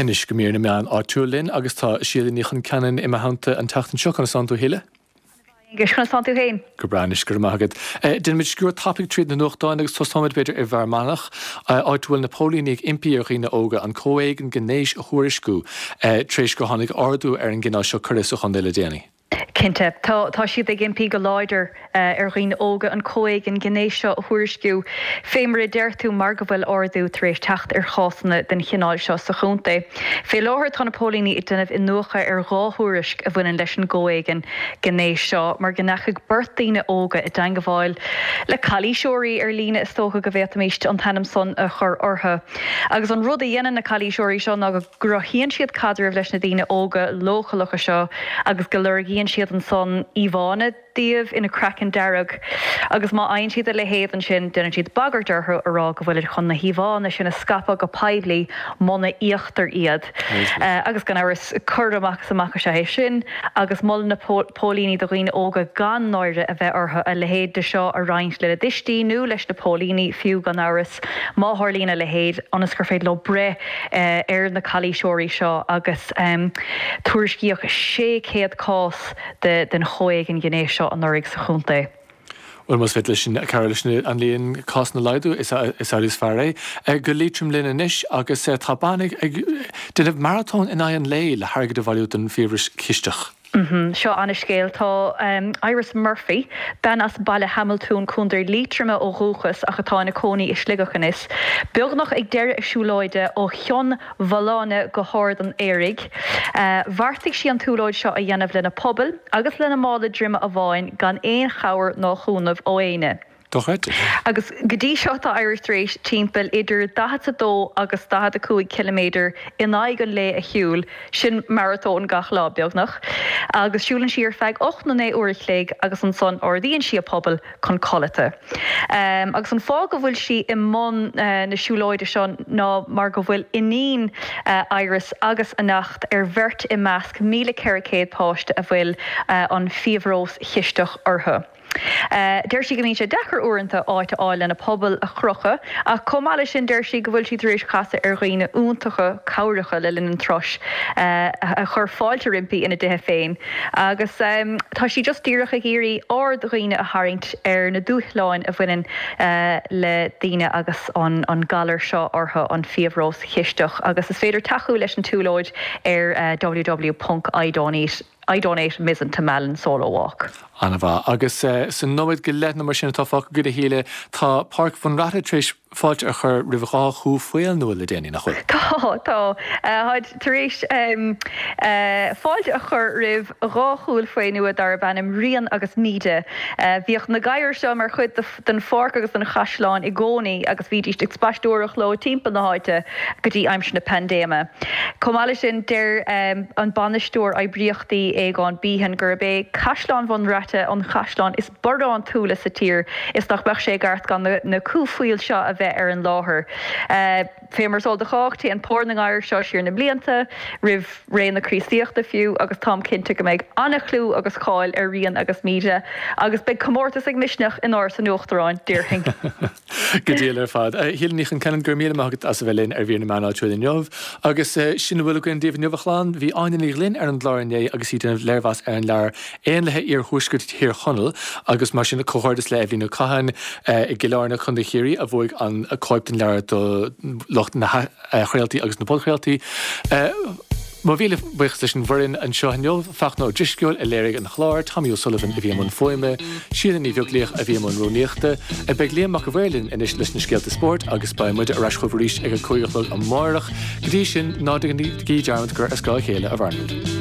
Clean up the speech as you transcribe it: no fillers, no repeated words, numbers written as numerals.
Anois go mír na meán áitiúil linn agus tá Síle Ní Chonceanainn i mo theannta an tseachtain seo. Conas tánn tú a Shíle? Aengus, conas tánn tú féin? Go breá anois, go raibh maith agat. Déanfaimid sciuird tapaidh tríd na nuachtáin agus tosóimid b'fhéidir i bhFear Manach, áit a bhfuil na póilíní ag impí ar dhaoine óga an comhéigean gnéis a thuairisciú tar éis gur tháinig ardú ar an gcineál seo coire sa chontae le déanaí. Cinnte. Tá, tá siad ag impí go láidir ar dhaoine óga an comhéigean gnéis seo a thuairisciú, fé mar a deir tú, mar go bhfuil ardú tar éis teacht ar chásanna den chineál seo sa chontae. Fé láthair tá na póilíní ag déanamh iniúchadh ar 2 thuairisc a bhaineann leis an gcomhéigean gnéis seo, mar go ndeachaigh beirt daoine óga i dteangabháil le calaoiseoirí ar líne, is dócha go bhféadfaimíst an t-ainm san a chur orthu. Agus an rud a dhéanann na calaoiseoirí seo ná go gcruthaíonn siad caidreamh leis na daoine óga leochaileacha seo agus go lorgaíonn siad ansan íomhánna díobh ina craiceann dearg agus má fhaigheann siad a leithéid ansin déanann siad bagairt orthu a rá go bhfuilid chun na híomhánna sin a scaipeadh go poiblí muna íoctar iad. Agus gan amhras coir amach is amach is ea é sin agus molann na póilíní do dhaoine óga gan náire a bheith orthu a leithéid de seo a roinnt lena dtuistí nó leis na póilíní fiú gan amhras má tharlaíonn a leithéid ionas gur féidir leo breith ar na calaoiseoirí seo agus tuairiscíodh 600 cás den chomhéigean gnéis seo anuraidh sa chontae. Bhuel, más féidir leis sin cabhrú leis an líon cásanna a laghdú, is amhlaidh is fearr é. Go Liatroim linn anois agus tá bean ag déanamh maratón in aghaidh an lae le hairgead a bhailiú don bhfiabhras cisteach. Seo ana-scéal. Tá Iris Murphy, bean as Baile Hamaltúin, Contae Liatroma ó dhúchas ach atá ina cónaí i Sligeach anois, beagnach ag deireadh a siúlóide ó Chionn Mhálanna go hArd an Fhéaraigh. Bheartaigh sí an tsiúlóid seo a dhéanamh lena puball agus lena mála droime amháin gan aon chabhair ná chúnamh ó éinne. Dochreidte. Agus go dtí seo tá Iris tar éis timpeall idir 42 agus 45 ciliméadar in aghaidh an lae a shiúl, sin maratón gach lá, beagnach. Agus siúlann sí ar feadh 8 nó 9 uair a chloig agus ansan ardaíonn sí a puball chun codlata. Agus an fáth go bhfuil sí i mbun na siúlóide seo ná mar go bhfuil iníon Iris agus a neacht ar bheirt i measc 1,400 páiste a bhfuil an fiabhras chisteach orthu. Deir sí go mbíonn sé deacair uaireanta áit a fháil lena puball a chrochadh ach chomh maith leis sin deir sí go bhfuil sí tar éis casadh ar dhaoine iontacha cabhracha le linn an turais a chuir fáilte roimpi ina dtithe féin agus tá sí just díreach ag iarraidh aird dhaoine a tharraingt ar na dúshláin a bhaineann le daoine agus an galar seo orthu, an fiabhras chisteach agus is féidir tacú leis an tsiúlóid ar www.idonate. I donate Mizen to Malin Solo Walk. An-mhaith. Agus sa nóiméad go leith nó mar sin atá fágtha againn a Shíle, tá Páirc Bhun Raithe tar éis fáilte a chur roimh 2 chú faol nua le déanaí, nach bhfuil? Tá, tá. Táid tar éis fáilte a chur roimh 2 chú faol nua darb ainm Rian agus Míde. Bhíodh na gadhair seo mar chuid den pháirc agus den chaisleán i gcónaí agus bhídís ag spaisteoireacht leo timpeall na háite go dtí aimsir na paindéime. Chomh maith leis sin, deir an bainisteoir oibríochtaí Aogán Behan gurb é Caisleán Bhun Raite an caisleán is barántúla sa tír is nach mbeadh sé i gceart gan na cú faoil seo a bheith ar an láthair. Fé mar is eol do chách, téann pór na ngadhar seo siar na blianta, roimh ré na Críostaíochta fiú, agus táim cinnte go mbeidh an-chlú agus cáil ar Rian agus Míde, agus beidh comórtas ag Misneach in Áras an Uachtaráin, déarfainn. Go diail ar fad. A Shíle Ní Chonceanainn, go raibh míle maith agat as a bheith linn ar Mhír na Meán Áitiúil inniu. Agus sin a bhfuil againn daoibh inniu, a chlann. Bhí Áine Ní Ghlinn ar an gclár inné agus í ag déanamh léirmheas ar an leabhar Éanlaithe Iarthuaisceart Thír Chonaill agus mar sin comhghairdeas le Eibhlín Ó Catháin i gCill Airne, Co. Chiarraí a bhuaigh an cóip den leabhar do lucht na hathchraoltaí agus na podchraoltaí. Mo mhíle buíochas leis an bhfoireann anseo inniu, Fachtna Ó Drisceoil a léirigh an clár, Tommy O'Sullivan a bhí i mbun fuaime, Síle Ní Bheaglaoich a bhí i mbun rúnaíochta. Beidh Liam Mac a' Mhaoir linn anois leis na scéalta spóirt agus beidh muide ar ais chugaibh arís ag a 5 a chlog amárach. Go dtí sin, ná déanaigí dearmad gur ar scáth a chéile a mhaireann muid.